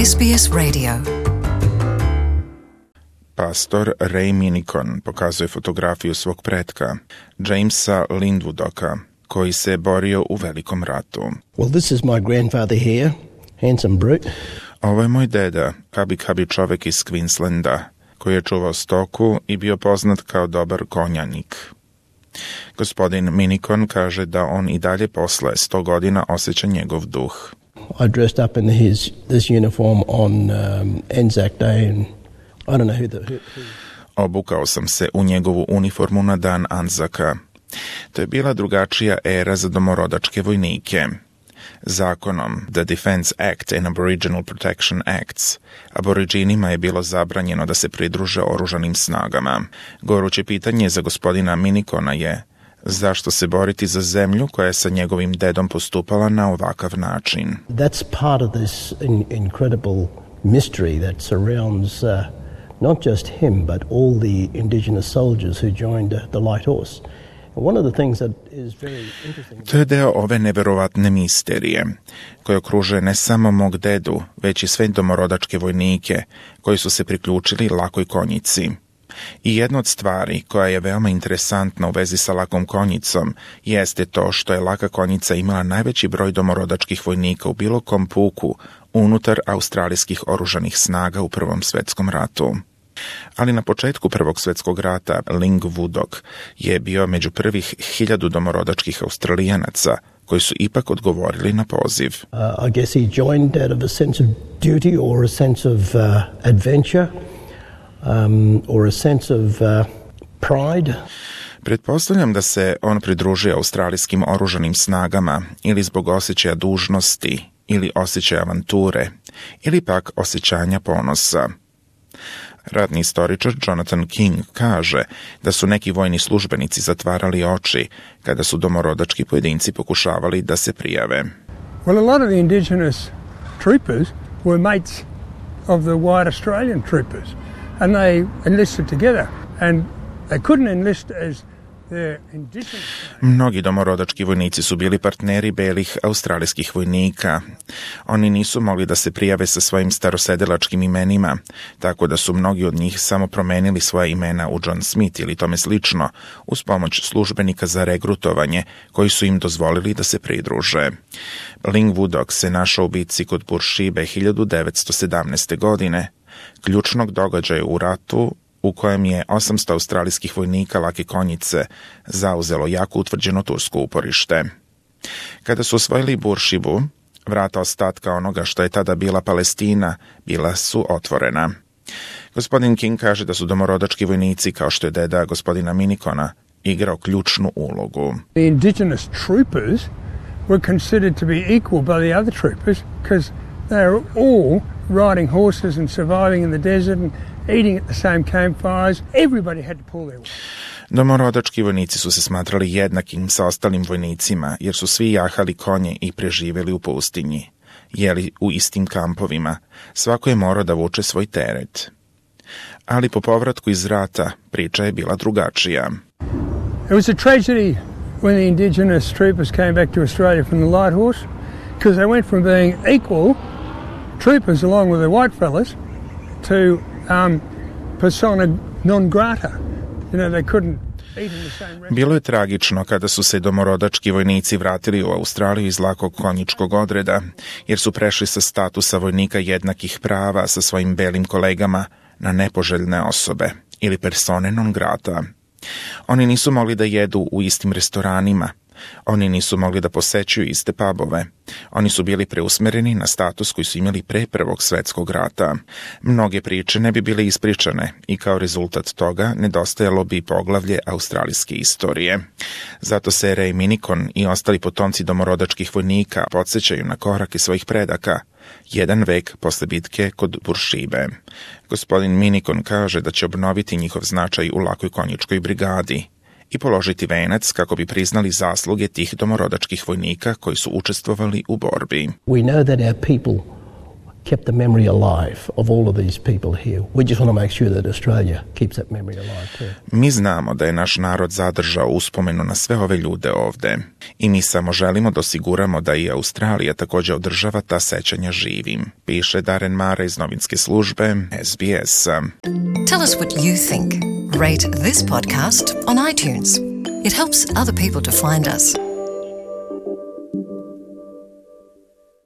SBS Radio. Pastor Ray Minicon pokazuje fotografiju svog pretka, Jamesa Lindwoodoka, koji se borio u Velikom ratu. Well, this is my grandfather here, handsome brute. Ovo je moj deda, kabi čovek iz Queenslanda, koji je čuvao stoku i bio poznat kao dobar konjanik. Gospodin Minicon kaže da on i dalje posle 100 godina osjeća njegov duh. I dressed up in this uniform on Anzac Day, and I don't know who. Obukao sam se u njegovu uniformu na dan Anzaka. To je bila drugačija era za domorodačke vojnike. Zakonom The Defense Act and Aboriginal Protection Acts Aboriđinima je bilo zabranjeno da se pridruže oružanim snagama. Goruće pitanje za gospodina Minicona je zašto se boriti za zemlju koja je sa njegovim dedom postupala na ovakav način. That's part of this incredible mystery that surrounds not just him but all the Indigenous soldiers who joined the Light Horse. One of the things that is very interesting. To je deo ove neverovatne misterije, koje okružuje ne samo mog dedu, već i sve domorodačke vojnike koji su se priključili lakoj konjici. I jedna od stvari koja je veoma interesantna u vezi sa lakom konjicom jeste to što je laka konjica imala najveći broj domorodačkih vojnika u bilo kom puku unutar australijskih oružanih snaga u Prvom svetskom ratu. Ali na početku Prvog svjetskog rata Lindwwoodok je bio među prvih 1000 domorodačkih Australijanaca koji su ipak odgovorili na poziv. I guess he joined out of a sense of duty or a sense of adventure or a sense of pride. Pretpostavljam da se on pridružio australijskim oružanim snagama ili zbog osjećaja dužnosti ili osjećaja avanture ili pak osjećanja ponosa. Ratni istoričar Jonathan King kaže da su neki vojni službenici zatvarali oči kada su domorodački pojedinci pokušavali da se prijave. Well, a lot of the Indigenous troopers were mates of the white Australian troopers, and they enlisted together, and they couldn't enlist as their indigenous. Mnogi domorodački vojnici su bili partneri belih australijskih vojnika. Oni nisu mogli da se prijave sa svojim starosedelačkim imenima, tako da su mnogi od njih samo promenili svoje imena u John Smith ili tome slično, uz pomoć službenika za regrutovanje, koji su im dozvolili da se pridruže. Lindwwoodok se našao u bitci kod Burshibe 1917. godine, ključnog događaja u ratu u kojem je 800 australijskih vojnika lake konjice zauzelo jako utvrđeno tursko uporište. Kada su osvojili Burshibu, vrata ostatka onoga što je tada bila Palestina bila su otvorena. Gospodin King kaže da su domorodački vojnici, kao što je deda gospodina Minicona, igrao ključnu ulogu. The Indigenous troopers were considered to be equal by the other troopers because they were all riding horses and surviving in the desert and eating at the same campfires. Everybody had to pull their weight. Domorodački vojnici su se smatrali jednakim sa ostalim vojnicima, jer su svi jahali konje i preživjeli u pustinji. Jeli u istim kampovima. Svako je morao da vuče svoj teret. Ali po povratku iz rata priča je bila drugačija. It was a tragedy when the Indigenous troopers came back to Australia from the Light Horse because they went from being equal troopers along with the white fellas to persona non grata. You know, they couldn't eat in the same restaurant. Bilo je tragično kada su se domorodački vojnici vratili u Australiju iz lakog konjičkog odreda, jer su prešli sa statusa vojnika jednakih prava sa svojim belim kolegama na nepoželjne osobe ili persone non grata. Oni nisu mogli da jedu u istim restoranima. Oni nisu mogli da posećuju iste pubove. Oni su bili preusmereni na status koji su imali pre Prvog svjetskog rata. Mnoge priče ne bi bile ispričane i kao rezultat toga nedostajalo bi poglavlje australijske istorije. Zato se Ray Minicon i ostali potomci domorodačkih vojnika podsjećaju na korake svojih predaka, 1 vek posle bitke kod Burshibe. Gospodin Minicon kaže da će obnoviti njihov značaj u lakoj konjičkoj brigadi i položiti venac kako bi priznali zasluge tih domorodačkih vojnika koji su učestvovali u borbi. We know that our people kept the memory alive of all of these people here. We just want to make sure that Australia keeps that memory alive too. Mi znamo da je naš narod zadržao uspomenu na sve ove ljude ovde i mi samo želimo da osiguramo da i Australija također održava ta sećanja živim, piše Darren Mara iz novinske službe SBS. Tell us what you think. Rate this podcast on iTunes. It helps other people to find us.